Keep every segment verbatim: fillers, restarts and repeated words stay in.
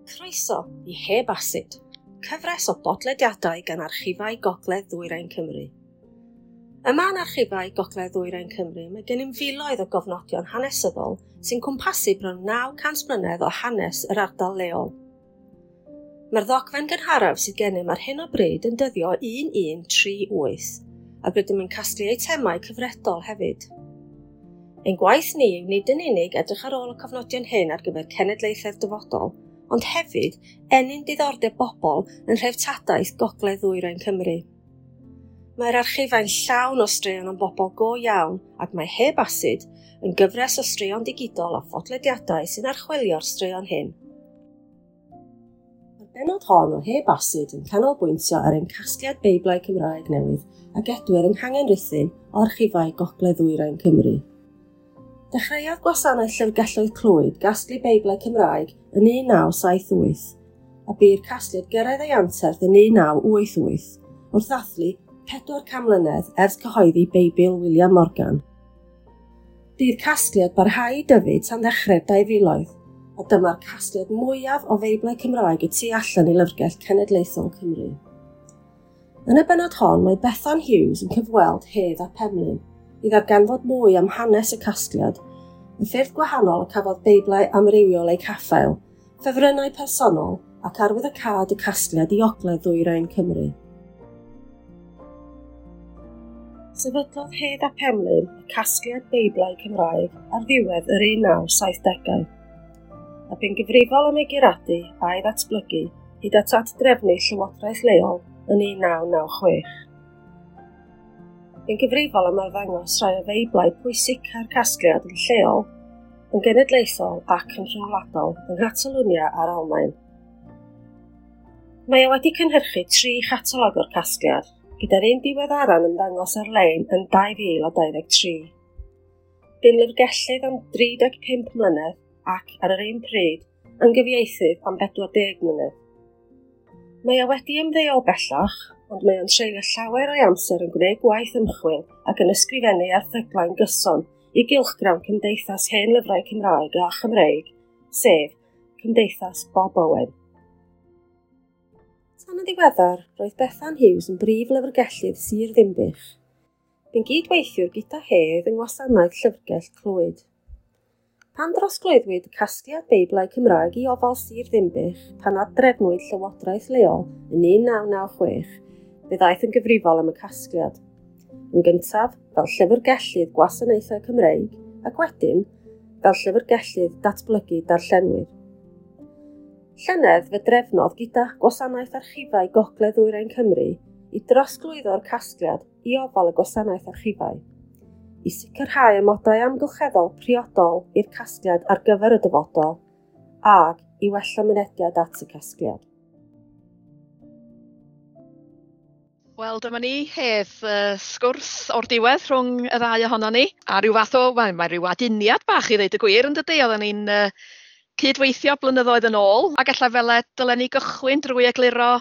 Croeso i Heb Asid, cyfres o bodlediadau gan Archifau Gogledd Ddwyrain Cymru. Yma yn Archifau Gogledd Ddwyrain Cymru mae gennym filoedd o gofnodion hanesyddol sy'n cwmpasu bron naw cant mlynedd o hanes yr ardal leol. Mae'r ddogfen gynharaf sydd gennym ar hyn o bryd yn dyddio un un tri wyth, ac rydym yn casglu eitemau cyfredol hefyd. Ein gwaith ni yw nid yn unig edrych ar ôl y cofnodion hyn ar gyfer cenedlaethau'r dyfodol, ond hefyd ennyn diddordeb bobl yn nhreftadaeth Gogledd Ddwyrain Cymru. Mae'r archifau'n llawn o straeon am bobl go iawn ac mae Heb Asid yn gyfres o straeon digidol a phodlediadau sy'n archwilio'r straeon hyn. Mae'r bennod hon o Heb Asid yn canolbwyntio ar ein casgliad Beiblau Cymraeg newydd a gedwir yng Nghangen Rhuthun o Archifau Gogledd Ddwyrain Cymru. Dechreuodd gwasanaeth Llyfrgelloedd Clwyd gasglu Beiblau Cymraeg yn un naw saith wyth, a bu'r casgliad gyrraedd ei anterth yn un naw wyth wyth wrth ddathlu pedwar can mlynedd ers cyhoeddi Beibl William Morgan. Bu'r casgliad barhau i dyfu tan ddechrau'r dau filoedd, a dyma'r casgliad mwyaf o Feiblau Cymraeg y tu allan i Lyfrgell Cenedlaethol Cymru. Yn y bennod hon, mae Bethan Hughes yn cyfweld Hedd ap Emlyn i ddarganfod mwy am hanes y casgliad, y ffyrdd gwahanol y cafodd Beiblau amrywiol eu caffael, ffefrynnau personol ac arwyddocâd y casgliad i Ogledd Ddwyrain Cymru. Sefydlodd Hedd ap Emlyn y casgliad Beiblau Cymraeg ar ddiwedd yr un naw saithdegau, a bu'n gyfrifol am ei guradu a'i ddatblygu hyd at ad-drefnu llywodraeth leol yn un naw naw chwech. Bu'n gyfrifol am arddangos rhai o Feiblau pwysica'r casgliad yn lleol, yn genedlaethol ac yn rhyngwladol yng Nghatalwnia a'r Almaen. Mae o wedi cynhyrchu tri chatalog o'r casgliad, gyda'r un diweddara'n ymddangos ar-lein yn dau fil a dau ddeg tri. Bu'n lyfrgellydd am dri deg pump mlynedd ac, ar yr un pryd, yn gyfieithydd am bedwar deg mlynedd. Mae o wedi ymddeol bellach, ond mae o'n treulio llawer o'i amser yn gwneud gwaith ymchwil ac yn ysgrifennu erthyglau'n gyson i gylchgrawn Cymdeithas Hen Lyfrau Cymraeg a Chymreig, sef Cymdeithas Bob Owen. Tan yn ddiweddar, roedd Bethan Hughes yn brif lyfrgellydd Sir Ddinbych. Bu'n gydweithiwr gyda Hedd yng ngwasanaeth Llyfrgell Clwyd. Pan drosglwyddwyd casgliad Beiblau Cymraeg i ofal Sir Ddinbych pan ad-drefnwyd llywodraeth leol yn un naw naw chwech, fe ddaeth yn gyfrifol am y casgliad. Yn gyntaf, fel llyfrgellydd gwasanaethau Cymreig, ac wedyn, fel llyfrgellydd datblygu darllenwyr. Llynedd fe drefnodd gyda Gwasanaeth Archifau Gogledd Ddwyrain Cymru i drosglwyddo'r casgliad i ofal y Gwasanaeth Archifau, i sicrhau amodau amgylcheddol priodol i'r casgliad ar gyfer y dyfodol, ac i wella mynediad at y casgliad. Wel, dyma ni, Hedd, uh, sgwrs o'r diwedd rhwng y ddau ohonon ni. A rhyw fath o, wel, mae rhyw aduniad bach i ddeud y gwir yn dydy, oedden ni'n uh, cydweithio blynyddoedd yn ôl, ac ella fel dylen ni gychwyn drwy egluro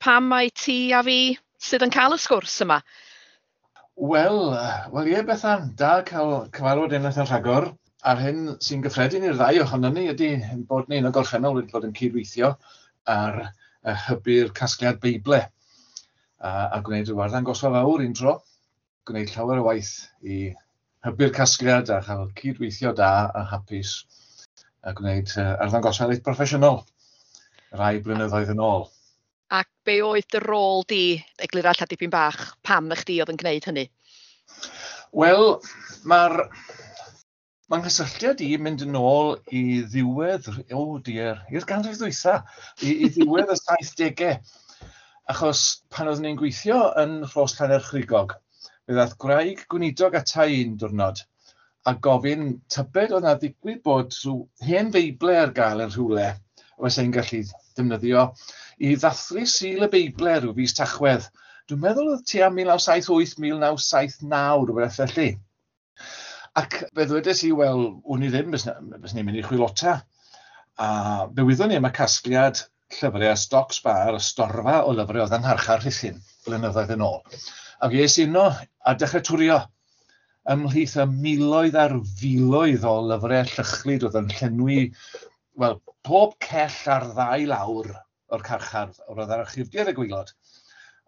pam mae ti a fi sydd yn cael y sgwrs yma. Wel, wel ie Bethan, da cael cyfarfod unwaith yn rhagor. A'r hyn sy'n gyffredin i'r ddau ohonon ni ydy bod ni yn y gorffennol wedi bod yn cydweithio ar hybu'r casgliad Beible a, a gwneud rhyw arddangosfa fawr un tro, gwneud llawer o waith i hybu'r casgliad a chael cydweithio da a hapus a gwneud arddangosfa reit broffesiynol rai blynyddoedd yn ôl. Ac be oedd dy rôl di, eglura ella dipyn bach, pam na chdi oedd yn gwneud hynny? Wel, mae'r mae'n nghysylltiad i mynd yn ôl i ddiwedd, o oh dear, i'r ganrif ddwytha, i, i ddiwedd y saithdegau. Achos pan oeddwn ni'n gweithio yn Rhos Llanerchrugog, fe ddaeth gwraig gweinidog ata i un diwrnod a gofyn tybed oedd 'na ddigwydd bod rhyw hen Feible ar gael yn rhywle fysa i'n gallu defnyddio i ddathlu Sul y Beible rhyw fis Tachwedd. Dwi'n meddwl oedd tua mil naw saith wyth, mil naw saith naw, rhywbeth felly. Ac fe ddwedes i, wel, wn i ddim, bys ni'n mynd i chwilota. A fe wyddwn ni am y casgliad llyfrau a stoc sbar, y storfa o lyfrau oedd yn ngharchar Rhuthun blynyddoedd yn ôl. Ac es i yno a dechrau twrio ymhlith y miloedd a'r filoedd o lyfrau llychlyd oedd yn llenwi Wel, pob cell ar ddau lawr o'r carchar oedd yr archifdy ar y gwaelod,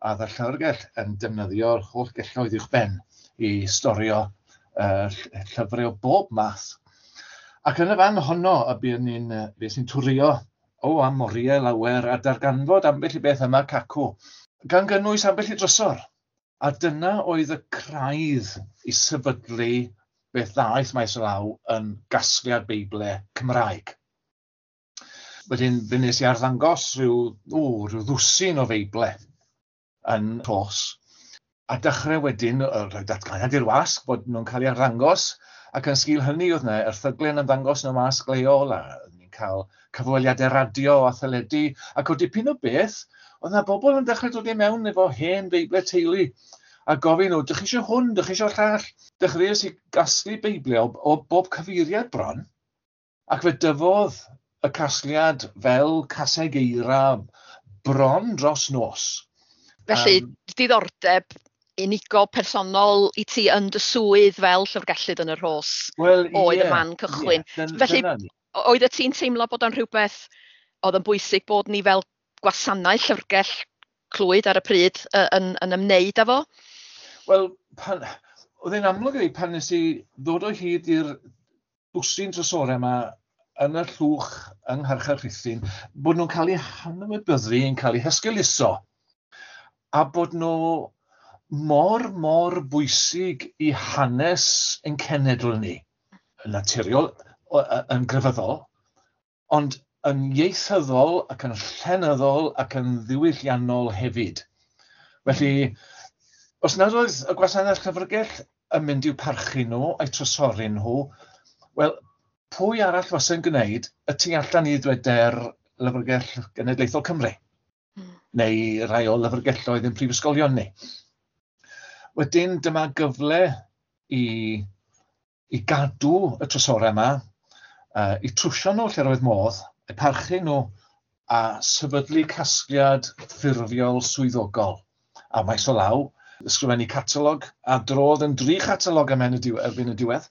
a oedd y llyfrgell yn defnyddio'r holl gelloedd uwch ben i storio uh, llyfrau o bob math. Ac yn y fan honno y buon ni'n bues i'n twrio o am oriau lawer a darganfod ambell i beth yma cacw, gan gynnwys ambell i drysor. A dyna oedd y craidd i sefydlu beth ddaeth maes o law yn gasgliad Beiblau Cymraeg. Wedyn, fe wnes i arddangos rhyw, o, rhyw ddwsin o Feiblau yn Rhos. A dechrau wedyn, rhoi datganiad i'r wasg bod nhw'n cael ei arddangos, ac yn sgil hynny oedd yna erthyglau yn ymddangos yn y wasg leol, a ni'n cael cyfweliadau radio a theledu, ac o dipyn o beth, oedd yna bobl yn dechrau dod i mewn efo hen Beiblau teulu, a gofyn nhw, dych chi eisiau hwn, dych chi eisiau llall? Dechreuais i gasglu Beiblau o, o bob cyfeiriad bron, ac fe dyfodd y casgliad fel caseg eira bron dros nos. Felly, um, diddordeb unigol personol i ti yn dy swydd fel llyfrgellydd yn y Rhos well, oedd yeah, y man cychwyn. Yeah, dyn, Felly, oedd y ti'n teimlo bod o'n rhywbeth oedd yn bwysig bod ni fel gwasanaeth llyfrgell Clwyd ar y pryd yn, yn ymwneud â fo? Wel, pan, oedd e'n amlwg i fi pan nes i ddod o hyd i'r dwsin drysorau yma yn y llwch yng Ngharchar Rhuthun, bod nhw'n cael eu hanwybyddu, yn cael eu hesgeuluso, a bod nhw mor, mor bwysig i hanes ein cenedl ni, yn naturiol, yn grefyddol, ond yn ieithyddol ac yn llenyddol ac yn ddiwylliannol hefyd. Felly, os nad oedd y gwasanaeth llyfrgell yn mynd i'w parchu nhw a'i trysori nhw, wel, pwy arall fysa'n gwneud y tu allan i ddweder Lyfrgell Genedlaethol Cymru, mm. neu rai o lyfrgelloedd yn prifysgolion ni. Wedyn dyma gyfle i, i gadw y trysorau yma, uh, i trwsio nhw lle roedd modd, eu parchu nhw a sefydlu casgliad ffurfiol swyddogol. A maes o law, ysgrifennu catalog, a drodd yn dri chatalog am erbyn y diwedd,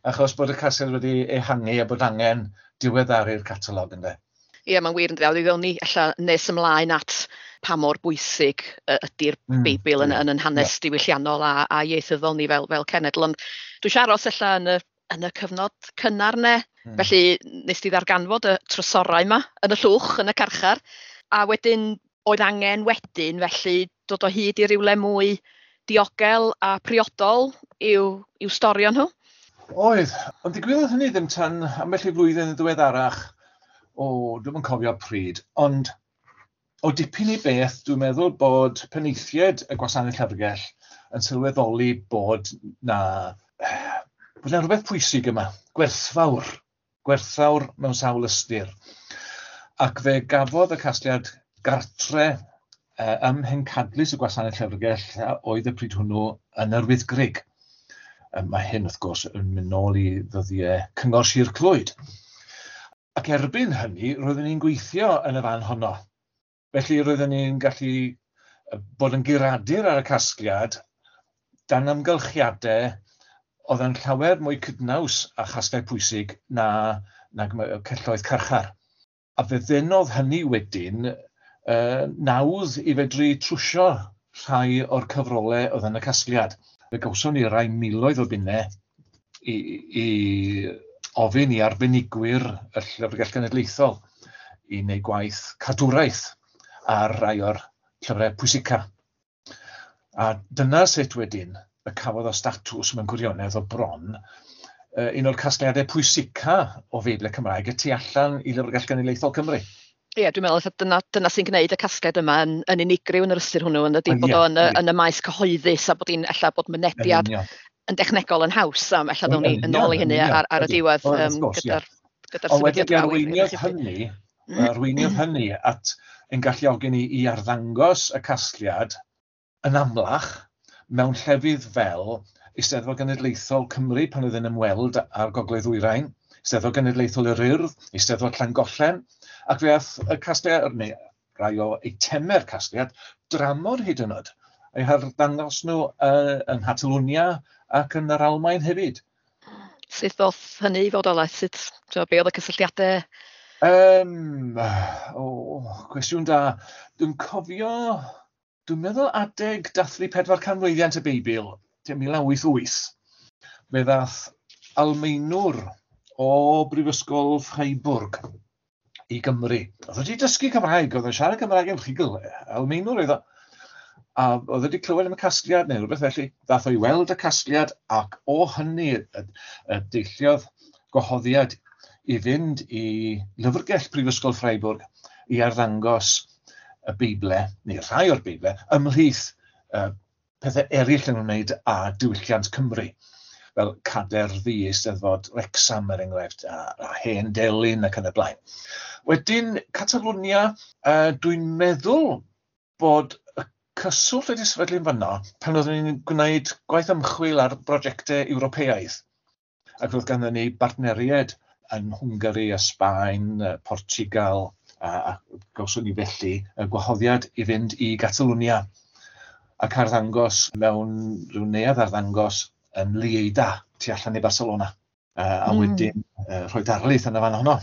achos bod y casgliad wedi ehangu a bod angen diweddaru'r catalog ynde. Ie, mae'n wir yn dweud, ddown ni ella nes ymlaen at pa mor bwysig ydy'r mm, Beibl yn, yn, yn hanes yeah. diwylliannol a, a ieithyddol ni fel, fel cenedl. Ond dwi eisiau aros ella yn y, yn y cyfnod cynnar ne. Mm. Felly nes di ddarganfod y trysorau yma yn y llwch, yn y carchar, a wedyn oedd angen wedyn felly dod o hyd i rywle mwy diogel a priodol i'w, i'w storio nhw. Oedd, ond digwyddodd hynny ddim tan ambell i flwyddyn yn ddiweddarach. O, dwi'm yn cofio pryd, ond o dipyn i beth, dwi'n meddwl bod penaethiaid y gwasanaeth llyfrgell yn sylweddoli bod na, bod na rhywbeth pwysig yma, gwerthfawr, gwerthfawr mewn sawl ystyr. Ac fe gafodd y casgliad gartre eh, ym mhencadlys y gwasanaeth llyfrgell oedd y pryd hwnnw yn yr Wyddgrug. Mae hyn, wrth gwrs, yn mynd nôl i ddyddiau Cyngor Sir Clwyd. Ac erbyn hynny, roeddwn ni'n gweithio yn y fan honno. Felly roeddwn ni'n gallu bod yn guradur ar y casgliad dan amgylchiadau oedd yn llawer mwy cydnaws a chasgliad pwysig na, na celloedd carchar. A fe ddenodd hynny wedyn uh, nawdd i fedru trwsio rhai o'r cyfrolau oedd yn y casgliad. Fe gawson ni rai miloedd o bunnau i, i ofyn i arbenigwyr y Llyfrgell Genedlaethol i wneud gwaith cadwraeth ar rai o'r llyfrau pwysica. A dyna sut wedyn y cafodd o statws mewn gwirionedd o bron un o'r casgliadau pwysica o Feiblau Cymraeg y tu allan i Lyfrgell Genedlaethol Cymru. Ie, dwi'n meddwl dyna, dyna sy'n gwneud y casgliad yma yn, yn unigryw yn yr ystyr hwnnw, yn ydy bod o yn y, yn y maes cyhoeddus a bod hi'n ella bod mynediad yn, yn dechnegol yn haws, am ella ddown ni yn ôl i hynny ar, ar y diwedd um, gyda'r gyda'r Ond wedyn arweiniodd hynny, arweiniodd hynny at ein galluogi ni i arddangos y casgliad yn amlach mewn llefydd fel Eisteddfod Genedlaethol Cymru pan oedd yn ymweld â'r Gogledd Ddwyrain, Eisteddfod Genedlaethol yr Urdd, Eisteddfod Llangollen, ac fe ath y casgliad, neu rai o eitemau'r casgliad, dramor hyd yn oed, eu harddangos nhw uh, yng Nghatalwnia ac yn yr Almaen hefyd. Sut ddoth hynny i fodolaeth? Sut, be oedd y cysylltiadau Um, o, oh, cwestiwn da. Dwi'n cofio, dwi'n meddwl adeg dathlu pedwar canmlwyddiant y Beibl, mil naw wyth wyth, fe ddath Almaenwr o Brifysgol Freiburg i Gymru. Oedd wedi dysgu Cymraeg, oedd yn siarad Cymraeg yn rhugl, Almaenwr oedd o. A oedd wedi clywed am y casgliad neu rhywbeth felly. Ddath o i weld y casgliad ac o hynny y, y deilliodd gwahoddiad i fynd i lyfrgell Prifysgol Freiburg i arddangos y Beible, neu rhai o'r Beible, ymhlith uh, pethau eraill yn ymwneud â diwylliant Cymru, fel Cader Ddu, Eisteddfod Wrecsam er enghraifft, a, a Hen Delyn ac yn y blaen. Wedyn, Catalonia, uh, dwi'n meddwl bod y cyswllt wedi sefydlu'n fanno pan oeddwn ni'n gwneud gwaith ymchwil ar brosiectau Ewropeaidd. Ac roedd ganddon ni bartneriaid yn Hwngari a Sbaen, Portugal, a, a gawson ni felly y gwahoddiad i fynd i Gatalunia ac arddangos mewn rhyw neuadd arddangos yn Lleida, tu allan i Barcelona. Uh, a mm. wedyn uh, rhoi darlith yn y fan honno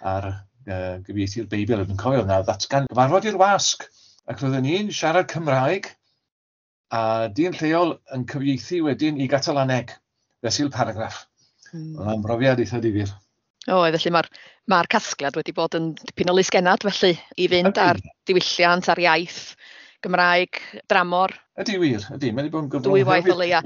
ar uh, gyfieithu'r Beibl. Dwi'n cofio yna ddatgan gyfarfod i'r wasg, ac roedden ni'n siarad Cymraeg a dyn lleol yn cyfieithu wedyn i Gatalaneg, fesul paragraff. Mm. Oedd o'n brofiad eitha difyr. O, felly mae'r mae'r casgliad wedi bod yn dipyn o lysgennad felly i fynd ar diwylliant, ar iaith Gymraeg, dramor. Ydy wir, ydy. Mae wedi bod yn gyfrwng. Dwy waith o leia.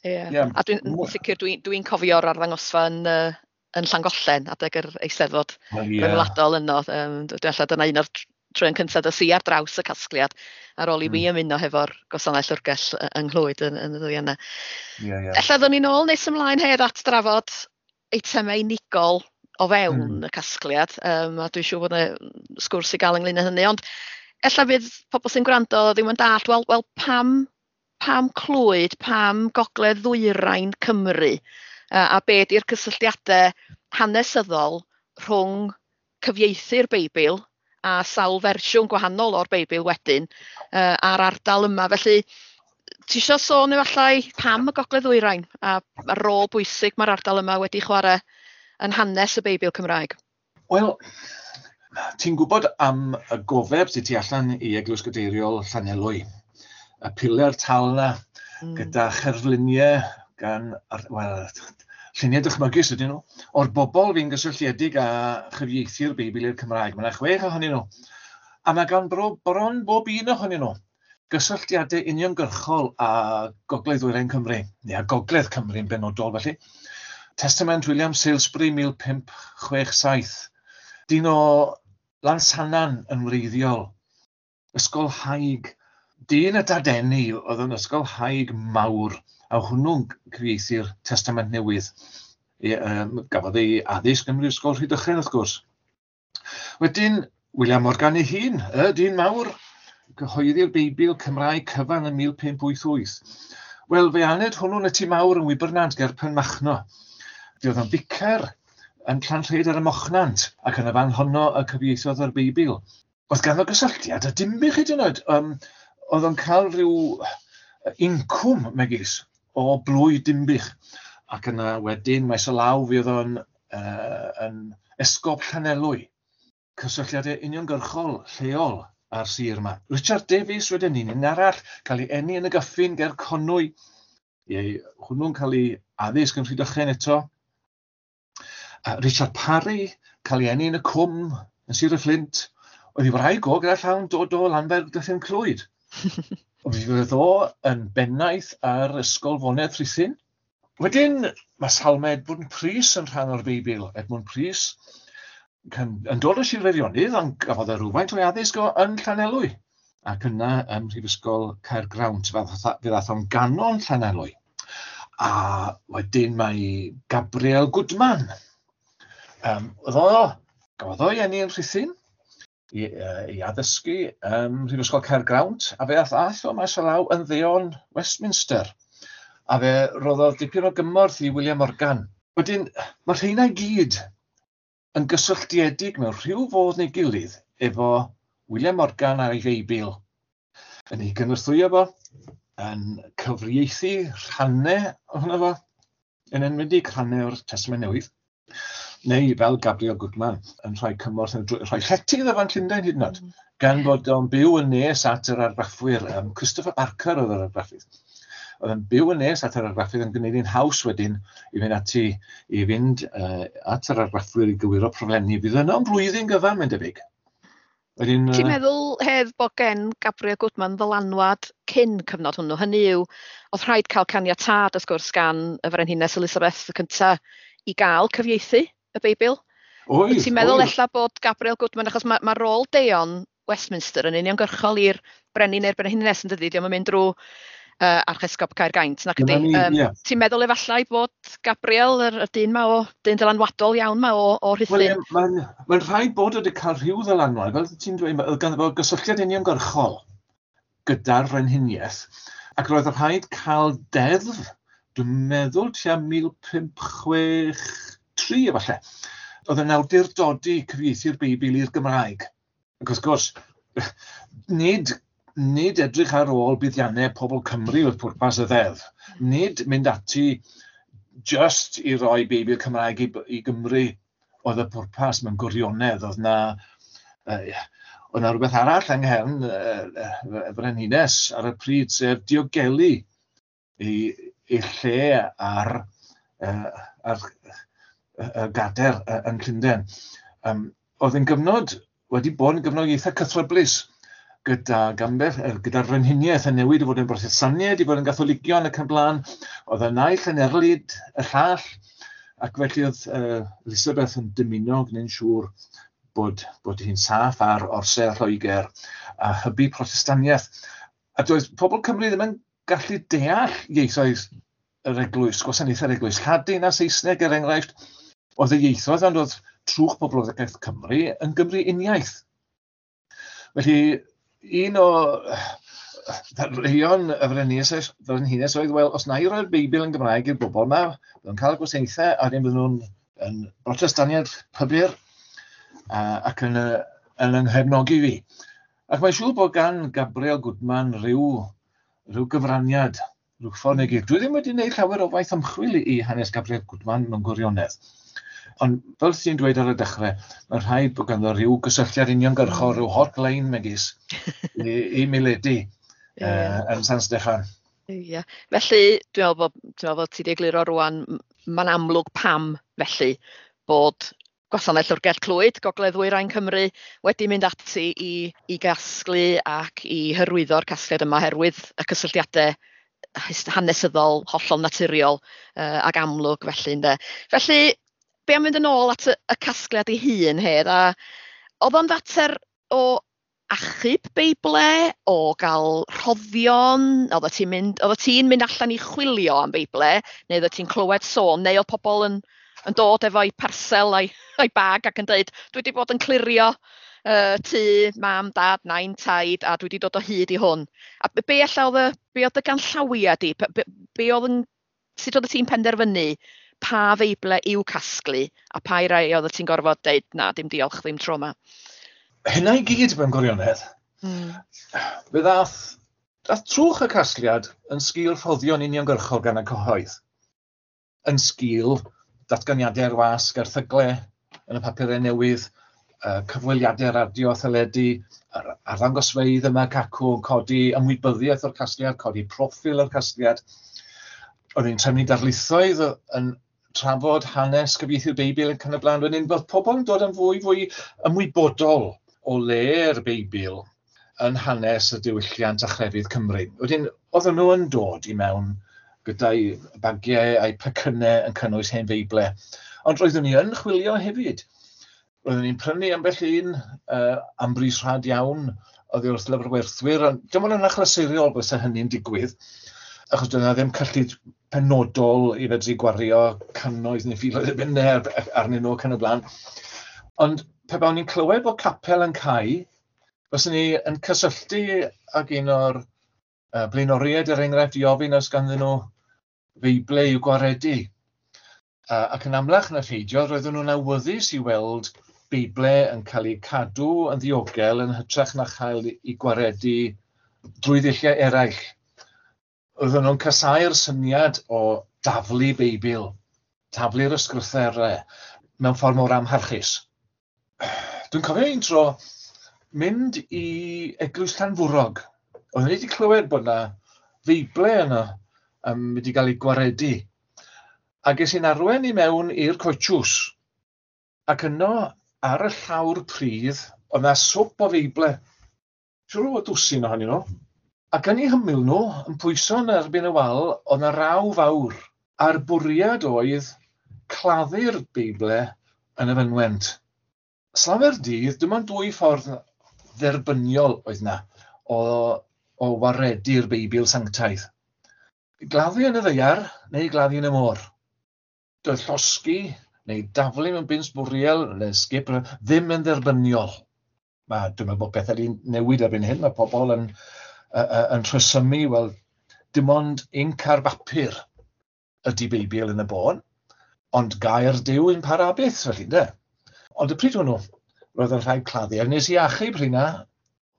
Ie. Yeah. A dwi'n sicr dwi'n dwi cofio'r arddangosfa yn, uh, yn Llangollen adeg yr Eisteddfod Wel, ie. ryngwladol yno. Um, dwi'n alla dyna un o'r troeon cyntaf dos i ar draws y casgliad ar ôl i mi ymuno hefo'r gwasanaeth llyfrgell yng Nghlwyd yn, yn y ddwy yna. Ie, ie. Ella ddown ni nôl nes ymlaen hedd at drafod eitemau unigol o fewn Mm. y casgliad, um, a dwi'n siŵr bod yna sgwrs i gael ynglyn â hynny, ond ella fydd pobl sy'n gwrando ddim yn dallt, wel, wel pam, pam Clwyd, pam Gogledd Ddwyrain Cymru, uh, a be di'r cysylltiadau hanesyddol rhwng cyfieithu'r Beibl a sawl fersiwn gwahanol o'r Beibl wedyn uh, a'r ardal yma. Felly, ti isio sôn efallai pam y Gogledd Ddwyrain a a rôl bwysig mae'r ardal yma wedi chwarae yn hanes y Beibl Cymraeg? Wel, ti'n gwybod am y gofeb sydd tu allan i Eglwys Gadeiriol Llanelwy, y piler tal yna Mm. gyda cherfluniau gan, wel, lluniau dychmygus ydyn nhw, o'r bobl fi'n gysylltiedig â chyfieithu'r Beibl i'r Cymraeg. Mae yna chwech ohonyn nhw. A mae gan bro, bron bob un ohonyn nhw gysylltiadau uniongyrchol â Gogledd Ddwyrain Cymru, neu â Gogledd Cymru yn benodol felly. Testament William Salesbury mil pump chwech saith. Dyn o Lansannan yn wreiddiol. Ysgol Haig. Dyn y Dadeni oedd yn ysgol Haig mawr, a hwnnw'n cyfieithu'r Testament Newydd. I, um, gafodd ei addysg ym Mhrifysgol Rhydychen, wrth gwrs. Wedyn, William Morgan ei hun, y dyn mawr, cyhoeddi'r Beibl Cymraeg cyfan yn mil pump wyth wyth. Wel, fe aned hwnnw'n y tŷ mawr yn Wybernant ger Penmachno. Fe oedd o'n ficer yn Llanrhaeadr ar y Mochnant, ac yn y fan honno y cyfieithodd yr Beibl. Oedd ganddo gysylltiad a Dinbych hyd yn oed. Um, oedd o'n cael rhyw incwm, megis, o blwy Dinbych. Ac yna wedyn, maes o law, fe oedd o'n uh, yn esgob Llanelwy. Cysylltiadau uniongyrchol lleol a'r sir yma. Richard Davies wedyn ni'n un arall, cael ei eni yn y Gyffin ger Conwy. Ie, hwnnw'n cael ei addysg yn Rhydychen eto. A Richard Parry, cael ei eni yn y Cwm, yn Sir y Fflint. Oedd ei wraig o gyda llawn dod o Lanfair Dyffryn Clwyd. Oedd o yn bennaeth ar Ysgol Fonedd Rhuthun. Wedyn, mae Salmau Edmund Prys yn rhan o'r Beibl. Edmund Prys yn dod o Sir Feirionnydd, ond gafodd e rhywfaint o'i addysg o yn Llanelwy. Ac yna ym Mhrifysgol Caergrawnt, fe ddath o'n ganon Llanelwy. A wedyn mae Gabriel Goodman. Um, oedd o, gafodd o'i eni yn Rhuthun i, uh, i addysgu ym Mhrifysgol Caergrawnt, a fe ath ath o maes o law yn ddeon Westminster. A fe roddodd dipyn o gymorth i William Morgan. Wedyn, mae'r rheina i gyd yn gysylltiedig mewn rhyw fodd neu gilydd efo William Morgan a'i Feibl. Yn ei gynorthwyo fo, yn cyfieithu rhannau ohono fo, yn enwedig rhannau o'r Testament Newydd. Neu fel Gabriel Goodman yn rhoi cymorth, yn rhoi llety iddo fo'n Llundain hyd yn oed, mm. gan bod o'n byw yn nes at yr argraffwyr. Um, Christopher Barker oedd yr argraffydd. Oedd yn byw yn nes at yr argraffydd yn gwneud hi'n haws wedyn i fynd ati, i fynd uh, at yr argraffwyr i gywiro proflenni. Fydd yno am flwyddyn gyfan, mae'n debyg. Wedyn, Ti'n meddwl, Hedd, bod gen Gabriel Goodman ddylanwad cyn cyfnod hwnnw? Hynny yw, oedd rhaid cael caniatâd, wrth gwrs, gan y Frenhines Elizabeth y cyntaf i gael cyfieithu y Beibl. Oedd. Ti'n meddwl ella bod Gabriel Goodman, achos mae, mae rôl Deon Westminster yn uniongyrchol i'r brenin neu'r brenhines yn dydi, dio'm yn mynd drwy uh, Archesgob Caergaint, nac ydi. Um, yeah. Ti'n meddwl efallai bod Gabriel, yr, y dyn ma o, dyn dylanwadol iawn ma o, o Rhuthun? Wel, mae'n ma rhaid bod wedi cael rhyw ddylanwad, fel ti'n dweud, oedd ganddo fo gysylltiad uniongyrchol gyda'r frenhiniaeth, ac roedd rhaid cael deddf, dwi'n meddwl tua mil pump chwech tri efallai, oedd yn awdurdodi cyfieithu'r Beibl i'r Gymraeg. Ac wrth gwrs, nid, nid edrych ar ôl buddiannau pobl Cymru oedd pwrpas y ddeddf. Nid mynd ati just i roi Beibl Cymraeg i, i Gymru oedd y pwrpas mewn gwirionedd. Oedd na, uh, oedd na rhywbeth arall yng nghefn uh, y Frenhines ar y pryd, sef diogelu ei, ei lle ar, uh, ar y gader yn Llundain. Um, oedd yn gyfnod, wedi bod yn gyfnod eitha cythryblus gyda gambell, gyda'r frenhiniaeth yn newid i fod yn Brotestaniaid, i fod yn Gatholigion ac yn blaen. Oedd y naill yn erlid y llall, ac felly oedd uh, Elizabeth yn dymuno gwneud siŵr bod, bod hi'n saff ar orsedd Lloegr a hybu Protestaniaeth. A doedd pobl Cymru ddim yn gallu deall ieithoedd yr eglwys, gwasanaethau'r eglwys, Lladin a Saesneg er enghraifft. Oedd y ieithoedd, ond oedd trwch poblogaeth Cymru yn Gymru uniaith. Felly, un o ddadleuon y frenhines, frenhines oedd, wel, os na i roi'r Beibl yn Gymraeg i'r bobl yma, bydden nhw'n cael y gwasanaethau, a wedyn bydden nhw'n yn Brotestaniaid pybyr ac yn, yn yng nghefnogi fi. Ac mae'n siŵr bod gan Gabriel Goodman rhyw, rhyw gyfraniad, rhyw ffordd neu gilydd. Dwi ddim wedi gwneud llawer o waith ymchwil i hanes Gabriel Goodman mewn gwirionedd. Ond fel ti'n dweud ar y dechrau, mae'n rhaid bod ganddo rhyw gysylltiad uniongyrchol, rhyw hotline megis i, i Miledi yeah. uh, yn San Steffan. Ie. Yeah. Felly, dwi'n meddwl bod, dwi'n meddwl bod ti wedi egluro rwan, mae'n amlwg pam felly bod Gwasanaeth Llyfrgell Clwyd, Gogledd Ddwyrain Cymru, wedi mynd ati i, i gasglu ac i hyrwyddo'r casgliad yma oherwydd y cysylltiadau hanesyddol, hollol naturiol uh, ac amlwg felly. Ynde. Felly, be am fynd yn ôl at y, y casgliad ei hun, Hedd, a oedd o'n fater o achub Beible, o gael rhoddion, oeddet ti'n mynd, oeddet ti'n mynd allan i chwilio am Beible, neu oeddet ti'n clywed sôn, neu oedd pobl yn, yn dod efo'i parsel a'i, a'i bag ac yn dweud, dwi wedi bod yn clirio uh, tŷ, mam, dad, nain, taid, a dwi wedi dod o hyd i hwn. A be ella oedd y, be oedd y ganllawiau di? Be, be, be oedd yn, sut oeddet ti'n penderfynu pa Feible i'w casglu a pa i rai oeddet ti'n gorfod deud, na, dim diolch, ddim tro yma? Hynna i gyd mewn gwirionedd. Mm. Fe ddath, dath trwch y casgliad yn sgil rhoddion uniongyrchol gan y cyhoedd. Yn sgil datganiadau'r wasg, erthygle yn y papurau newydd, uh, cyfweliadau radio a theledu, yr arddangosfeydd yma cacw yn codi ymwybyddiaeth o'r casgliad, codi proffil o'r casgliad. O'n i'n trefnu darlithoedd yn trafod hanes cyfieithu'r Beibl yn yn y blaen. Wedyn bod pobl yn dod yn fwy fwy ymwybodol o le'r Beibl yn hanes y diwylliant a chrefydd Cymru. Wedyn, oedden nhw yn dod i mewn gyda'i bagiau a'i pecynnau yn cynnwys hen Feible. Ond roeddwn ni yn chwilio hefyd. Roeddwn ni'n prynu ambell un uh, am bris rhad iawn oddi wrth lyfrwerthwyr. Ond dim ond yn achlysurol bysa hynny'n digwydd, achos doedd 'na ddim cyllid penodol i fedru gwario cannoedd neu filoedd o bunnau arnyn nhw ac yn y blaen. Ond pe bawn ni'n clywed bod capel yn cau, fyswn ni yn cysylltu ag un o'r uh, blaenoriaid, er enghraifft, i ofyn os ganddyn nhw Feible i'w gwaredu. Uh, ac yn amlach na pheidio, roedden nhw'n awyddus i weld Beible yn cael eu cadw yn ddiogel yn hytrach na chael eu gwaredu drwy ddulliau eraill. Oedden nhw'n casáu'r syniad o daflu Beibl, taflu'r ysgrythurau. mewn ffordd mor amharchus. Dwi'n cofio un tro mynd i Eglwys Llanfwrog. Oeddwn i wedi clywed bod yna Feible yna um, wedi cael ei gwaredu. A ges i'n arwain i mewn i'r coetws. Ac yno, ar y llawr pridd, oedd yna swp o Feible. Siŵr o fod dwsin ohonyn nhw. Ac yn eu hymyl nhw, yn pwyso yn erbyn y wal, oedd yna raw fawr. A'r bwriad oedd claddu'r Beible yn y fynwent. Slawer dydd, dim ond dwy ffordd dderbyniol oedd yna o, o waredu'r Beibl sanctaidd. Gladdu yn y ddaear neu gladdu yn y môr. Doedd llosgi neu daflu mewn bin sbwriel neu sgip ddim yn dderbyniol. Mae, dwi'n meddwl bod pethau wedi newid erbyn hyn. Mae pobl yn, uh, yn rhesymu, wel, dim ond inc ar bapur ydy Beibl yn y bôn, ond gair Duw yn para byth, felly, de. Ond y pryd hwnnw, roedd yn rhaid claddu. A nes i achub rheina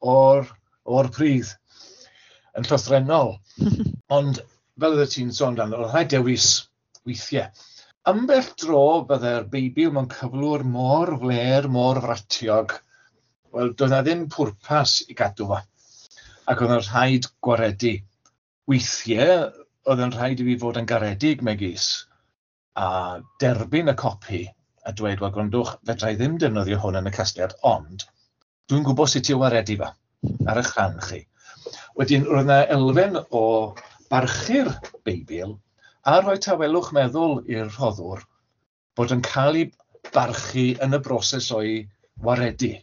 o'r, o'r pridd yn llythrennol. Ond fel oeddet ti'n sôn amdano, roedd rhaid dewis weithiau. Ambell dro byddai'r Beibl mewn cyflwr mor flêr, mor fratiog, wel, doedd na ddim pwrpas i gadw fo. Ac oedd yn rhaid gwaredu. Weithiau, oedd yn rhaid i fi fod yn garedig megis a derbyn y copi a dweud, wel, gwrandwch, fedra i ddim defnyddio hwn yn y casgliad, ond dwi'n gwybod sut i'w waredu fo ar eich rhan chi. Wedyn, roedd yna elfen o barchu'r Beibl a rhoi tawelwch meddwl i'r rhoddwr bod yn cael ei barchu yn y broses o'i waredu.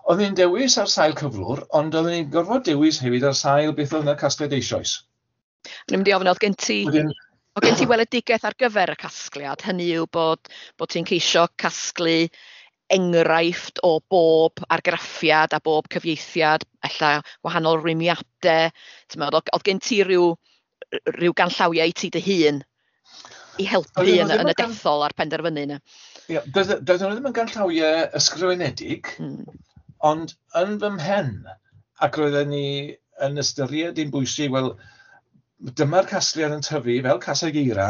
Oedd ni'n dewis ar sail cyflwr, ond oedden ni'n gorfod dewis hefyd ar sail beth oedd yn y casgliad eisoes. O'n i'n mynd i ofyn, oedd gen ti, Wedyn, oedd gen ti weledigaeth ar gyfer y casgliad? Hynny yw bod, bod ti'n ceisio casglu enghraifft o bob argraffiad a bob cyfieithiad, ella wahanol rwymiadau. Ti'n meddwl, oedd gen ti ryw, ryw ganllawiau i ti dy hun i helpu Oedden nhw yn, ddim yn y yn gan- dethol a'r penderfynu yna? Ie, doedd doedden nhw ddim yn ganllawiau ysgrifenedig, Mm. ond yn fy mhen, ac roedden ni yn ystyried un bwysig, wel, dyma'r casgliad yn tyfu fel caseg eira,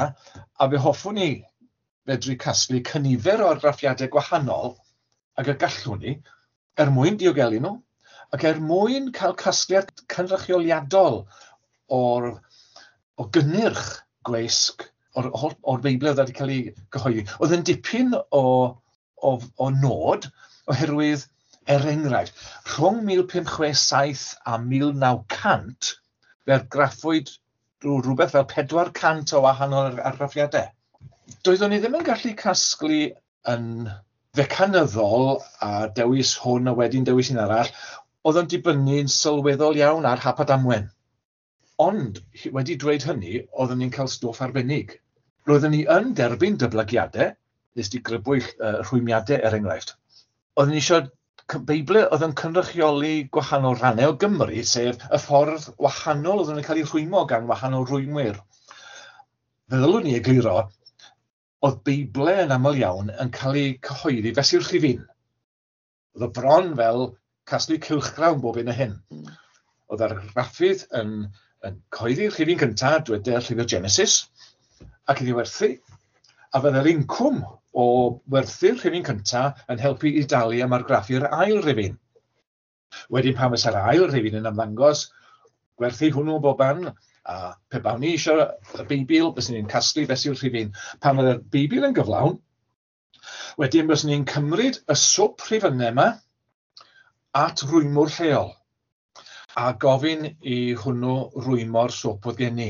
a fe hoffwn ni fedru casglu cynifer o argraffiadau gwahanol ag y gallwn ni, er mwyn diogelu nhw, ac er mwyn cael casgliad cynrychioliadol o'r, o gynnyrch gweisg o'r, o'r, o'r Beibl oedd wedi cael ei gyhoeddi. Oedd yn dipyn o, o, o nod, oherwydd, er enghraifft, rhwng mil pump chwe saith a mil naw cant, fe argraffwyd rhyw rhywbeth fel pedwar cant o wahanol argraffiadau. Doeddwn ni ddim yn gallu casglu yn fecanyddol a dewis hwn a wedyn dewis un arall, oedd yn dibynnu'n sylweddol iawn ar hap a damwen. Ond, wedi dweud hynny, oeddwn ni'n cael stwff arbennig. Roeddwn ni yn derbyn dyblygiadau, nes di grybwyll uh, rhwymiadau er enghraifft. Oeddwn ni eisiau Beiblau oedd yn cynrychioli gwahanol rannau o Gymru, sef y ffordd wahanol oedd yn cael ei rhwymo gan wahanol rwymwyr. Fe ddylwn ni egluro, oedd Beiblau yn aml iawn yn cael eu cyhoeddi fesul rhifyn. Oedd o bron fel casglu cylchgrawn bob un o hyn. Oedd argraffydd yn, yn cyhoeddi rhifyn cyntaf, dweder llyfr Genesis, ac iddi werthu, a fydde'r incwm o werthu'r rhifyn cyntaf yn helpu i dalu am argraffu'r ail rhifyn. Wedyn pan fysa'r ail rhifyn yn ymddangos, gwerthu hwnnw bob ban, a pe bawn ni eisiau y Beibl, byswn ni'n casglu fesul rhifyn. Pan fydde'r Beibl yn gyflawn, wedyn byswn ni'n cymryd y swp rhifynnau yma at rwymwr lleol, a gofyn i hwnnw rwymo'r swp oedd gen i.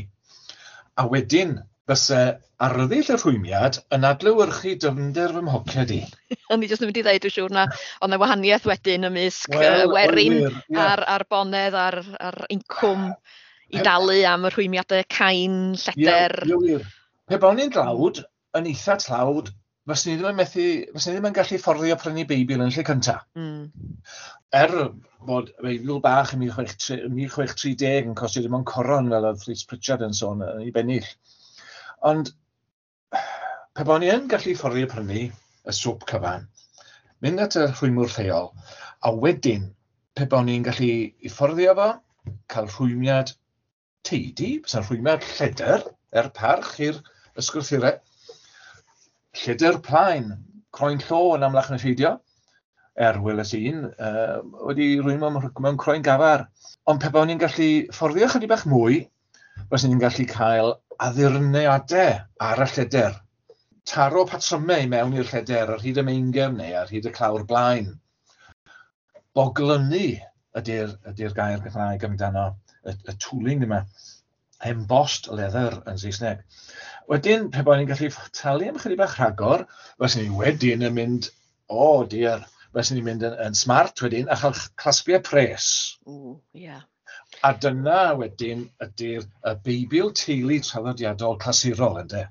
A wedyn, fyse arddull y rhwymiad yn adlewyrchu dyfnder fy mhoced i. O'n i jyst yn mynd i ddeud, dwi'n siŵr na, oedd 'na wahaniaeth wedyn ymysg Wel, yy, werin oedd wir, ie. a'r, a'r bonedd a'r, a'r incwm i Pe- dalu am y rhwymiadau cain, Ie, lleder. ie, wir. Pe bawn ni'n dlawd, yn eitha tlawd, fyswn ni ddim yn methu, fyswn ni ddim yn gallu fforddio prynu Beibl yn lle cynta. Mm. Er bod Beibl bach yn mil chwech tri, mil chwech tri deg yn costio dim ond coron fel oedd Rhys Pritchard yn sôn yn ei bennill. Ond pe bawn ni yn gallu fforddio prynu y swp cyfan, mynd at y rhwymwr lleol, a wedyn pe bawn ni'n gallu i fforddio fo, cael rhwymiad teidi, bysa'n rhwymiad lledr, er parch i'r ysgrythurau, Lledr plaen, croen llo yn amlach na pheidio, er weles un, uh, wedi rwymo mewn croen gafar. Ond pe bawn ni'n gallu fforddio chydig bach mwy, fyswn ni'n gallu cael addurniadau ar y lledr. Taro patrymau i mewn i'r lledr ar hyd y meingefn neu ar hyd y clawr blaen. Boglynu ydy'r ydy gair Gymraeg amdano, y, y tooling yma. Embossed leather yn Saesneg. Wedyn, pe bawn ni'n gallu talu am chydig bach rhagor, fyswn ni wedyn yn mynd, o oh dear, fyswn ni'n mynd yn, yn smart wedyn a chael clasbiau pres. Ww, ie. Yeah. A dyna wedyn ydy'r y Beibl teulu traddodiadol clasurol, ynde?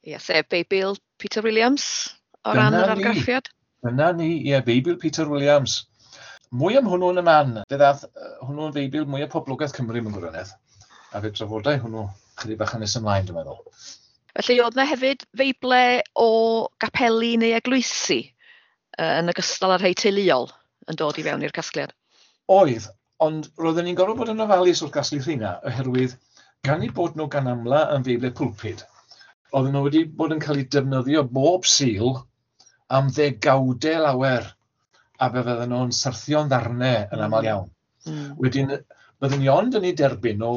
Ie, sef Beibl Peter Williams o ran yr argraffiad. Dyna ni, ie, Beibl Peter Williams. Mwy am hwnnw yn y man. Fe ddath hwnnw'n Feibl mwyaf poblogaidd Cymru mewn gwirionedd. A fe drafodau hwnnw chydig bach yn nes ymlaen, dwi'n meddwl. Felly oedd yna hefyd feible o gapeli neu eglwysi yn ogystal â'r rhai teuluol yn dod i fewn i'r casgliad? Oedd, ond roedden ni'n gorfod bod yn ofalus wrth gasglu rheina, oherwydd gan eu bod nhw gan amla yn feible pulpud, oedden nhw wedi bod yn cael eu defnyddio bob Sul am ddegawdau lawer, a fe fydden nhw'n syrthio'n ddarnau yn aml iawn. Mm. Wedyn, byddwn ni ond yn ei derbyn nhw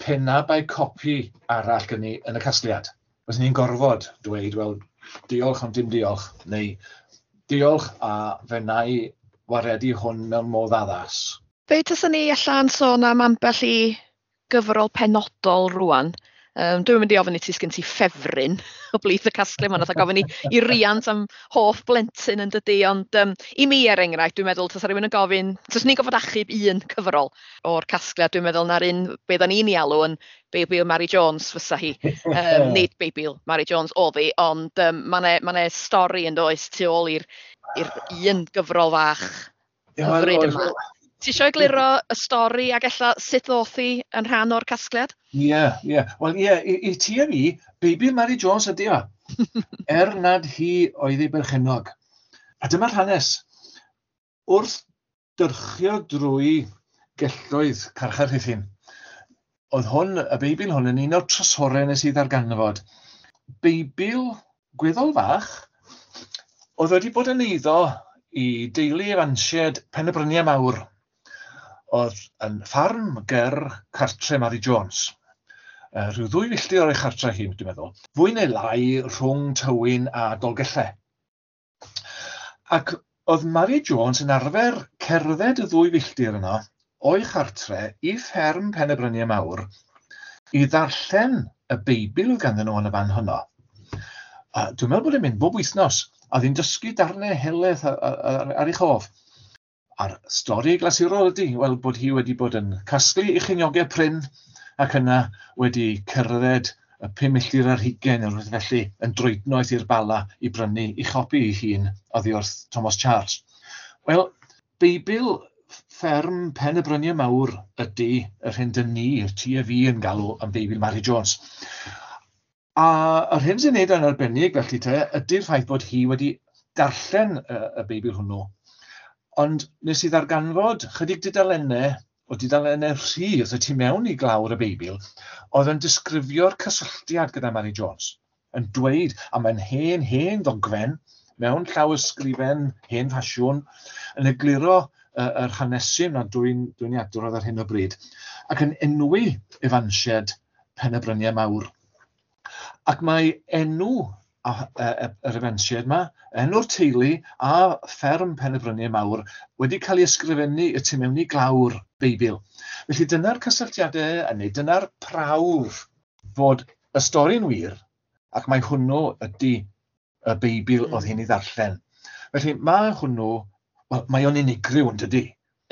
pe na bai copi arall gen ni yn y casgliad. Byddwn ni'n gorfod dweud, wel, diolch ond dim diolch, neu diolch a fe wna i waredu hwn mewn modd addas. Fe taswn ni allan sôn am ambell i gyfrol penodol rwan. Um, dwi'n mynd i ofyn i ti sgyn ti ffefryn o blith y casglu yma, nath gofyn i, i riant am hoff blentyn yn dydy, ond um, i mi er enghraifft, dwi'n meddwl, tasa rhywun yn gofyn, taswn ni'n gofod achub un cyfrol o'r casgliad, dwi'n meddwl na'r un, be da ni'n ei alw yn Beibl Mary Jones fysa hi. Um, nid Beibl Mary Jones oedd hi, ond um, mae 'na stori yn does tu ôl i'r un gyfrol fach hyfryd yma. Ti eisiau egluro y stori ac ella sut ddoth hi yn rhan o'r casgliad? Ie, yeah, ie. Yeah. Wel, ie, yeah, i, i ti a fi, Beibl Mary Jones ydy o. Er nad hi oedd ei berchennog. A dyma'r hanes. Wrth dyrchio drwy gelloedd carchar Rhuthun, oedd hwn, y Beibl hwn, yn un o'r trysorau nes i ddarganfod. Beibl gweddol fach, oedd wedi bod yn eiddo i deulu Efansied Pen y Bryniau Mawr. Oedd yn ffarm ger cartre Mary Jones. Uh, rhyw ddwy filltir o'r ei chartre hi, dwi'n meddwl. Fwy neu lai rhwng Tywyn a Dolgellau. Ac oedd Mary Jones yn arfer cerdded y ddwy filltir yno o'i chartre i fferm Pen y Bryniau Mawr i ddarllen y Beibl oedd ganddyn nhw yn y fan honno. A dwi'n meddwl bod e'n mynd bob wythnos, a oedd hi'n dysgu darnau helaeth ar, ar, ar ei chof. A'r stori glasurol ydy, wel, bod hi wedi bod yn casglu ei cheiniogau prin ac yna wedi cerdded y pum milltir ar hugain neu rhywbeth felly yn droednoeth i'r Bala i brynu ei chopi ei hun oddi wrth Thomas Charles. Wel, Beibl fferm Pen y Bryniau Mawr ydy yr hyn dyn ni, ti a fi yn galw am Beibl Mary Jones. A yr hyn sy'n neud yn arbennig felly te ydy'r ffaith bod hi wedi darllen y, y Beibl hwnnw. Ond nes i ddarganfod chydig dudalennau, o dudalennau rhydd y tu mewn i glawr y Beibl, oedd yn disgrifio'r cysylltiad gyda Mary Jones, yn dweud, a mae'n hen, hen ddogfen, mewn llawysgrifen hen ffasiwn, yn egluro uh, yr hanesyn na dwi'n dwi adrodd ar hyn o bryd, ac yn enwi Efansied Pen y Bryniau Mawr. Ac mae enw a, a, a, yr Efansied yma, enw'r teulu a fferm Pen y Bryniau Mawr wedi cael ei ysgrifennu y tu mewn i glawr Beibl. Felly dyna'r cysylltiadau, neu dyna'r prawf fod y stori'n wir, ac mae hwnnw ydy y Beibl oedd hi'n ei ddarllen. Felly mae hwnnw, wel, mae o'n unigryw yn dydy.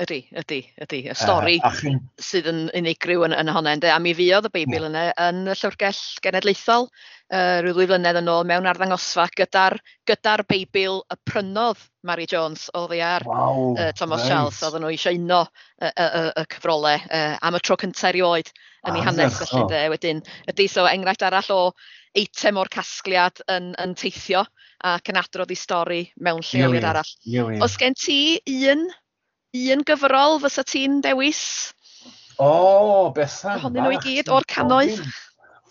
Ydy, ydy, ydy. Y stori uh, chi'n... sydd yn unigryw yn, yn honna, ynde. A mi fuodd y Beibl yna yn y Llyfrgell Genedlaethol uh, rhyw ddwy flynedd yn ôl mewn arddangosfa gyda'r gyda Beibl y prynodd Mary Jones oddi ar wow, uh, Thomas right. Charles. Oedden nhw eisiau uno y, y, y, y cyfrolau uh, am y tro cyntaf erioed yn ei hanes. Felly, ynde. Wedyn, ydy, so enghraifft arall o eitem o'r casgliad yn, yn teithio ac yn adrodd ei stori mewn lleoliad arall. Oes gen ti un un gyfrol fysa ti'n dewis? O, oh, Bethan. Ohonyn nhw i gyd o'r cannoedd?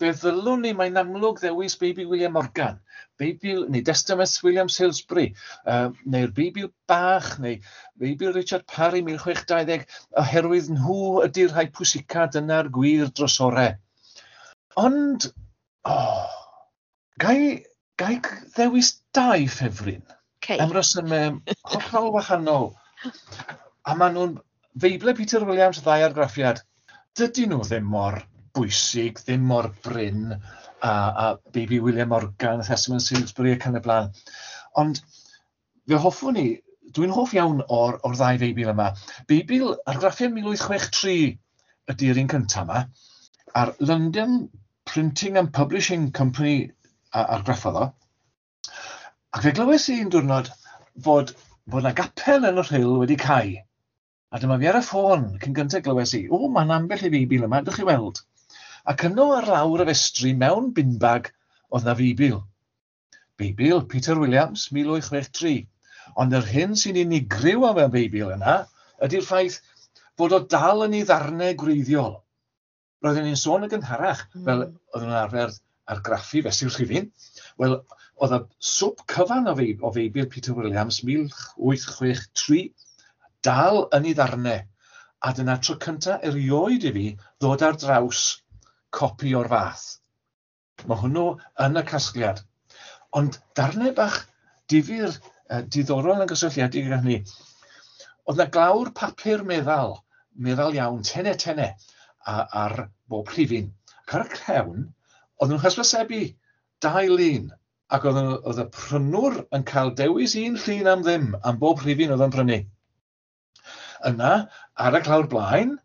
Fe ddylwn ni, mae'n amlwg ddewis Beibl William Morgan, Beibl, neu Testament William Salesbury, uh, neu'r Beibl Bach, neu Beibl Richard Parry mil chwech dau ddeg, oherwydd nhw ydy'r rhai pwysica, dyna'r gwir drysorau. Ond, oh, gai, gai ddewis dau ffefryn? Okay. Am resymau hollol wahanol. A maen nhw'n Feible Peter Williams, ddau argraffiad. Dydyn nhw ddim mor bwysig, ddim mor brin, a, a Baby William Morgan, Testament Salesbury ac yn y blaen. Ond fe hoffwn i, dwi'n hoff iawn o'r, o'r ddau Feibl yma. Beibl argraffiad mil wyth chwech tri ydy'r un cyntaf yma, a'r London Printing and Publishing Company argraffodd o. Ac fe glywes i un diwrnod fod, fod 'na gapel yn y Rhyl wedi cau. A dyma fi ar y ffôn cyn gyntaf glywes i, o, mae'n ambell i Feibl yma, dych chi weld. Ac yno ar lawr y festri mewn bin bag oedd 'na Feibl. Beibl Peter Williams, mil wyth chwech tri. Ond yr hyn sy'n unigryw am y Beibl yna ydy'r ffaith fod o dal yn ei ddarnau gwreiddiol. Roedden ni'n sôn yn gynharach, mm. fel oedden nhw'n arfer argraffu fesul rhifyn. Wel, oedd y swp cyfan o, feib, o Feibl Peter Williams, mil wyth chwech tri, dal yn ei ddarnau. A dyna tro cyntaf erioed i fi ddod ar draws copi o'r fath. Mae hwnnw yn y casgliad. Ond darnau bach difyr, uh, diddorol yn gysylltiedig â hynny. Oedd 'na glawr papur meddal, meddal iawn, tene tene, a, ar bob rhifyn. Ac ar y cefn, oedden nhw'n hysbysebu dau lun, ac oedd, oedd y prynwr yn cael dewis un llun am ddim, am bob rhifyn oedd yn prynu. Yna, ar y clawr blaen,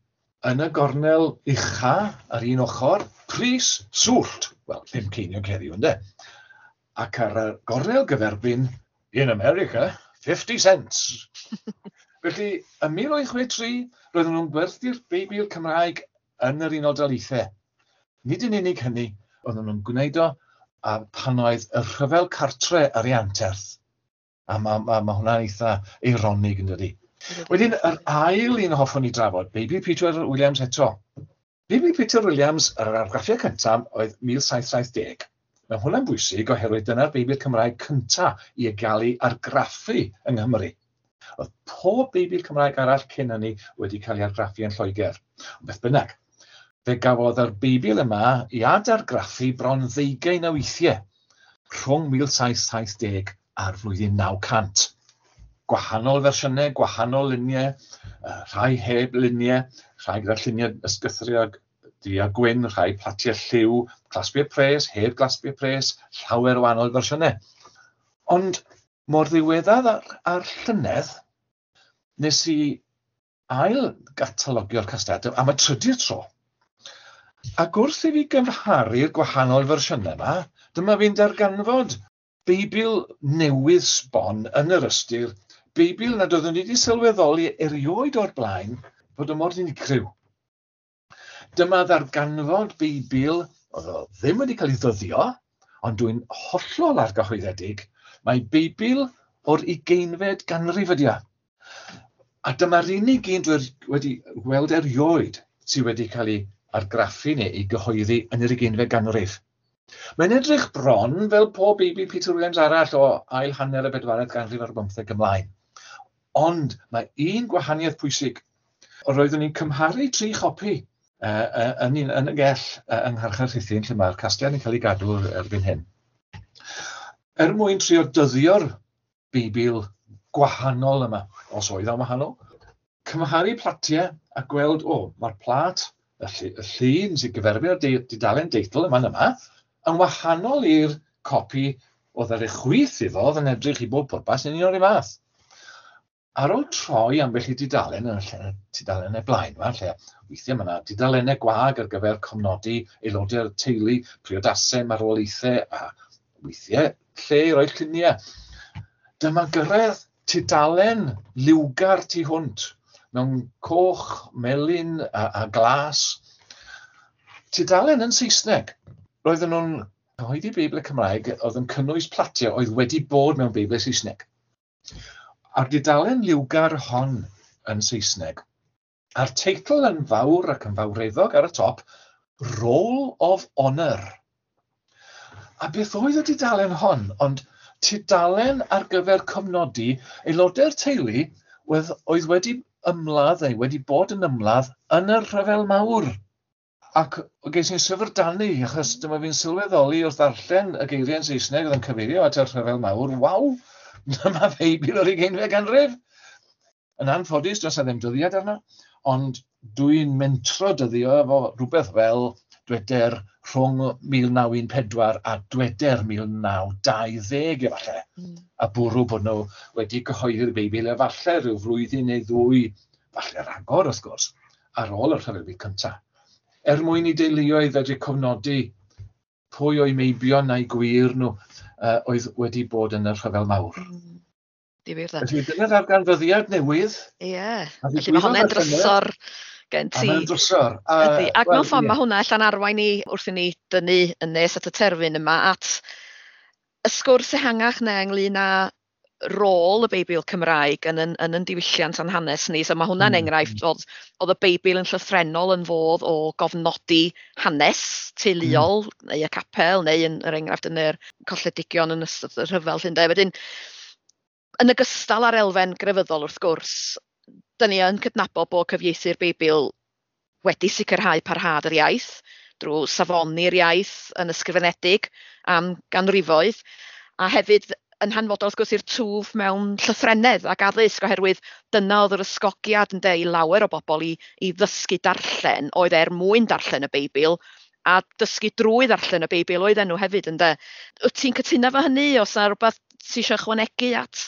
yn y gornel ucha ar un ochr, pris swllt. Wel, pum ceiniog heddiw, ynde? Ac ar y gornel gyferbyn, in America, fifty cents. Felly, ym mil wyth chwech tri, roedden nhw'n gwerthu'r Beibl Cymraeg yn yr Unol Daleithiau. Nid yn unig hynny, oedden nhw'n gwneud o a pan oedd y rhyfel cartre ar ei anterth. A mae ma, ma hwnna'n eitha eironig, yn dydi? Wedyn, yr ail un hoffwn i drafod, Beibl Peter Williams eto. Beibl Peter Williams, yr argraffiad cyntaf oedd mil saith saith deg. Mae hwnna'n bwysig oherwydd dyna'r Beibl Cymraeg cyntaf i gael ei argraffu yng Nghymru. Oedd pob Beibl Cymraeg arall cyn hynny wedi cael ei argraffu yn Lloegr. Ond beth bynnag, fe gafodd yr Beibl yma i adargraffu bron ddeugain o weithiau rhwng mil saith saith deg a'r flwyddyn naw cant. Gwahanol fersiynau, gwahanol luniau, rhai heb luniau, rhai gyda lluniau ysgythriog du a gwyn, rhai platiau lliw, clasbiau pres, heb glasbiau pres, llawer o wahanol fersiynau. Ond mor ddiweddar ar, ar llynedd, nes i ail gatalogio'r casgliad am y trydydd tro. Ac wrth i fi gymharu'r gwahanol fersiynau yma, dyma fi'n darganfod Beibl newydd sbon yn yr ystyr, Beibl nad oeddwn i wedi sylweddoli erioed o'r blaen fod o mor unigryw. Dyma ddarganfod Beibl, oedd o ddim wedi cael ei ddyddio, ond dwi'n hollol argyhoeddedig, mae Beibl o'r ugeinfed ganrif ydi o. A dyma'r unig un dwi wedi gweld erioed sydd wedi cael ei argraffu neu ei gyhoeddi yn yr ugeinfed ganrif. Mae'n edrych bron fel pob Beibl Peter Williams arall o ail hanner y bedwaredd ganrif ar bymtheg ymlaen. Ond mae un gwahaniaeth pwysig. Roeddwn i'n cymharu tri chopi uh, uh, yn, yn y gell uh, yng Ngharchar Rhuthun, lle mae'r casgliad yn cael ei gadw erbyn hyn. Er mwyn trio dyddio'r Beibl gwahanol yma, os oedd o'n wahanol, cymharu platiau a gweld, o, mae'r plat, y, ll y llun sy'n gyferbyn o'r dudalen deitl yma yma, yn wahanol i'r copi oedd ar ei chwith iddo, oedd yn edrych i bob pwrpas yn un o'r un fath. Ar ôl troi ambell i dudalen yn y lle, tudalennau blaen yma, lle weithiau mae yna dudalennau gwag ar gyfer cofnodi aelodau'r teulu, priodasau, marwolaethau, a weithiau lle i roi lluniau. Dyma gyrraedd tudalen liwgar tu hwnt, mewn coch, melyn a, a glas. Tudalen yn Saesneg. Roedden nhw'n cyhoeddi Beibl Cymraeg oedd yn cynnwys platiau oedd wedi bod mewn Beibl Saesneg. A'r dudalen liwgar hon yn Saesneg, a'r teitl yn fawr ac yn fawreddog ar y top, Roll of Honour. A beth oedd y dudalen hon? Ond tudalen ar gyfer cofnodi aelodau'r teulu oedd, oedd wedi ymladd neu wedi bod yn ymladd yn y Rhyfel Mawr. Ac ges i'n syfrdanu, achos dyma fi'n sylweddoli wrth ddarllen y geiriau yn Saesneg oedd yn cyfeirio at y Rhyfel Mawr, waw, dyma Feibl o'r ugeinfed ganrif. Yn anffodus, does 'na ddim dyddiad arno, ond dwi'n mentro dyddio efo rhywbeth fel dweder rhwng mil naw un pedwar a dweder mil naw dau ddeg efallai. Mm. A bwrw bod nhw wedi cyhoeddi'r Beibl efallai rhyw flwyddyn neu ddwy, falle rhagor wrth gwrs, ar ôl y Rhyfel Byd Cyntaf. Er mwyn i deuluoedd fedru cofnodi pwy o'i meibion a'i gwir nhw uh, oedd wedi bod yn y Rhyfel Mawr. Mm. Difyr dda. Felly dyna ddarganfyddiad newydd. Ie. Yeah. Felly mae hwnna'n drysor gen ti. Mae'n drysor. A, Ydy. Ac mewn ffordd mae hwnna allan arwain ni wrth i ni dynnu yn nes at y terfyn yma at y sgwrs ehangach neu ynglyn â rôl y Beibl Cymraeg yn yn, yn, yn diwylliant a'n hanes ni. So mae hwnna'n mm. enghraifft oedd, oedd y Beibl yn llythrennol yn fodd o gofnodi hanes teuluol mm. neu y capel neu yn yr enghraifft yn yr colledigion yn ystod y rhyfel. Llundain. Wedyn, yn ogystal â'r elfen grefyddol wrth gwrs, dyn ni yn cydnabod bod cyfieithu'r Beibl wedi sicrhau parhad yr iaith drwy safoni'r iaith yn ysgrifenedig am ganrifoedd, a hefyd yn hanfodol wrth gwrs i'r twf mewn llythrennedd ac addysg, oherwydd dyna oedd yr ysgogiad ynde i lawer o bobl i, i ddysgu darllen, oedd er mwyn darllen y Beibl, a dysgu drwy ddarllen y Beibl oedden nhw hefyd ynde. Wyt ti'n cytuno efo hynny? Oes 'na rhywbeth ti eisiau ychwanegu at,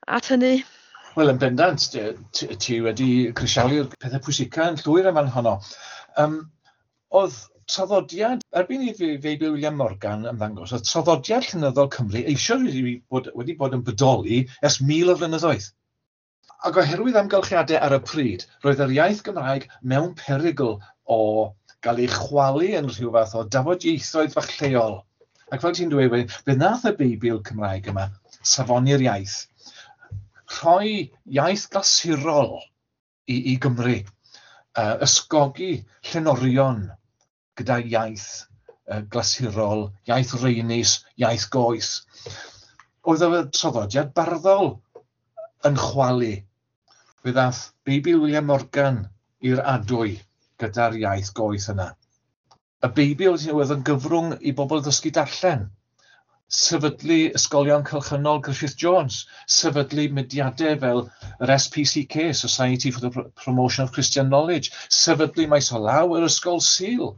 at hynny? Wel, yn bendant, ti, ti wedi crisialu'r pethau pwysica yn llwyr yn fan honno. Um, oedd traddodiad, erbyn i Feibl William Morgan ymddangos, oedd traddodiad llenyddol Cymru eisoes wedi bod, wedi bod yn bodoli ers mil o flynyddoedd. Ac oherwydd amgylchiadau ar y pryd, roedd yr iaith Gymraeg mewn perygl o gael ei chwalu yn rhyw fath o dafodieithoedd fach lleol. Ac fel ti'n dweud, fe wnaeth y Beibl Cymraeg yma safoni'r iaith, rhoi iaith glasurol i, i Gymru, uh, ysgogi llenorion gyda iaith uh, glasurol, iaith reinus, iaith goes. Oedd y traddodiad barddol yn chwalu. Fe ddath Beibl William Morgan i'r adwy gyda'r iaith goeth yna. Y Beibl oedd yn gyfrwng i bobl ddysgu darllen. Sefydlu ysgolion cylchynol Griffith Jones, sefydlu mudiadau fel yr S P C K, Society for the Promotion of Christian Knowledge, sefydlu maes o law yr Ysgol Sul.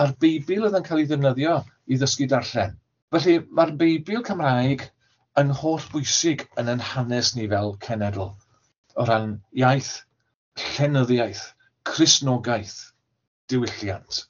A'r Beibl oedd yn cael ei ddefnyddio i ddysgu darllen. Felly mae'r Beibl Cymraeg yn holl bwysig yn ein hanes ni fel cenedl, o ran iaith, llenyddiaeth, Cristnogaeth, diwylliant.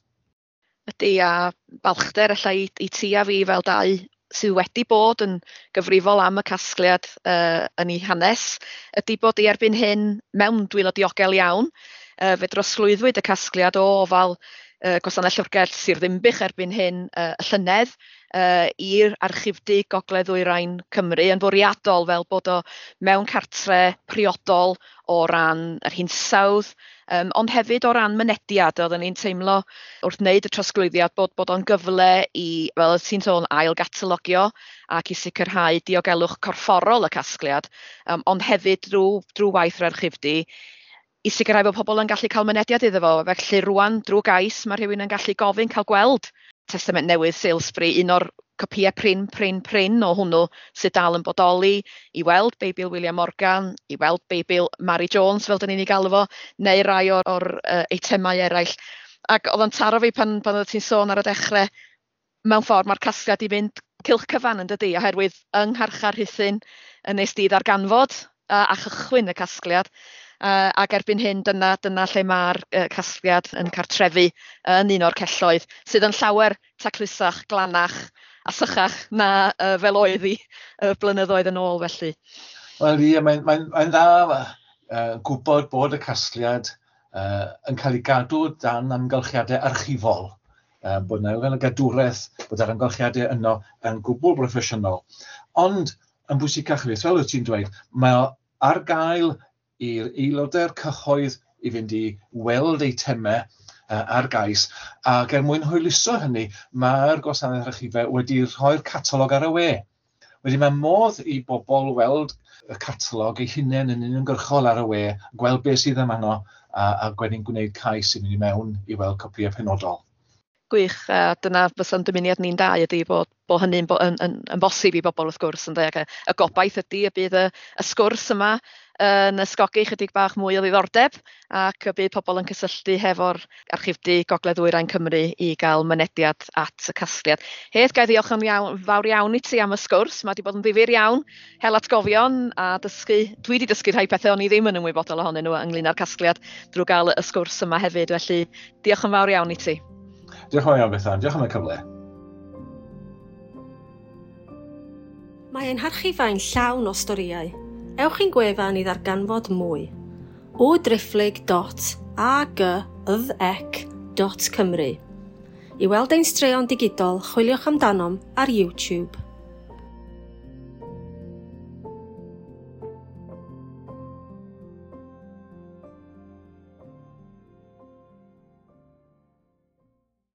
Ydy, a balchder ella i, i ti a fi fel dau sydd wedi bod yn gyfrifol am y casgliad uh, yn ei hanes, ydy bod i erbyn hyn mewn dwylo diogel iawn. Uh, fe drosglwyddwyd y casgliad o ofal uh, Gwasanaeth Llyfrgell Sir Ddinbych erbyn hyn uh, y llynedd uh, i'r Archifdy Gogledd Ddwyrain Cymru yn fwriadol fel bod o mewn cartre priodol o ran yr hinsawdd, um, ond hefyd o ran mynediad. Oedden ni'n teimlo wrth wneud y trosglwyddiad bod, bod o'n gyfle i, fel ti'n sôn, ail gatalogio ac i sicrhau diogelwch corfforol y casgliad, um, ond hefyd drwy, drwy waith yr archifdy i sicrhau bod pobl yn gallu cael mynediad iddo fo. Felly rwan, drwy gais, mae rhywun yn gallu gofyn cael gweld Testament Newydd Salesbury, un o'r copïau prin, prin, prin o hwnnw sydd dal yn bodoli, i weld Beibl William Morgan, i weld Beibl Mary Jones, fel dyn ni'n ei galw fo, neu rai o'r, or, uh, eitemau eraill. Ac oedd o'n taro fi pan, pan oedd ti'n sôn ar y dechrau, mewn ffordd mae'r casgliad i fynd cylch cyfan yn dydi, oherwydd yng Ngharchar Rhuthun yn nes di ddarganfod uh, a chychwyn y casgliad. Uh, ac erbyn hyn dyna, dyna lle mae'r uh, casgliad yn cartrefu yn un o'r celloedd sydd yn llawer taclusach, glanach a sychach na uh, fel oedd hi uh, blynyddoedd yn ôl felly. Wel ie, mae'n mae, mae dda uh, gwybod bod y casgliad uh, yn cael ei gadw dan amgylchiadau archifol. Uh, bod yna elfen o gadwraeth, bod yr amgylchiadau yno yn gwbl broffesiynol. Ond yn bwysicach fyth, fel wyt ti'n dweud, mae o ar gael i'r aelodau'r cyhoedd i fynd i weld eitemau uh, ar gais, ac er mwyn hwyluso hynny, mae'r gwasanaeth archifau wedi rhoi'r catalog ar y we. Wedyn mae modd i bobl weld y catalog eu hunain yn uniongyrchol ar y we, gweld beth sydd yma, a, a wedyn gwneud cais i mynd i mewn i weld copïau penodol. Gwych, a dyna fysa'n dymuniad ni'n dau ydy bod, bod hynny'n bo, yn, yn, yn bosib i bobl wrth gwrs. Ynde? Ac y, y gobaith ydy y bydd y, y sgwrs yma yn ysgogi chydig bach mwy o ddiddordeb ac y bydd pobl yn cysylltu hefo'r Archifdy Gogledd Ddwyrain Cymru i gael mynediad at y casgliad. Hedd, ga i ddiolch yn iawn, fawr iawn i ti am y sgwrs. Mae wedi bod yn ddifyr iawn, hel atgofion a dysgu. Dwi wedi dysgu rhai pethau o'n i ddim yn ymwybodol ohonyn nhw ynglyn â'r casgliad drwy gael y sgwrs yma hefyd. Felly diolch yn fawr iawn i ti. Diolch yn fawr iawn, Bethan. Diolch am y cyfle. Mae ein harchifau'n llawn o storïau. Ewch i'n gwefan i ddarganfod mwy. o driphlyg dot a g y ec dot cymru. I weld ein straeon digidol, chwiliwch amdanom ar YouTube.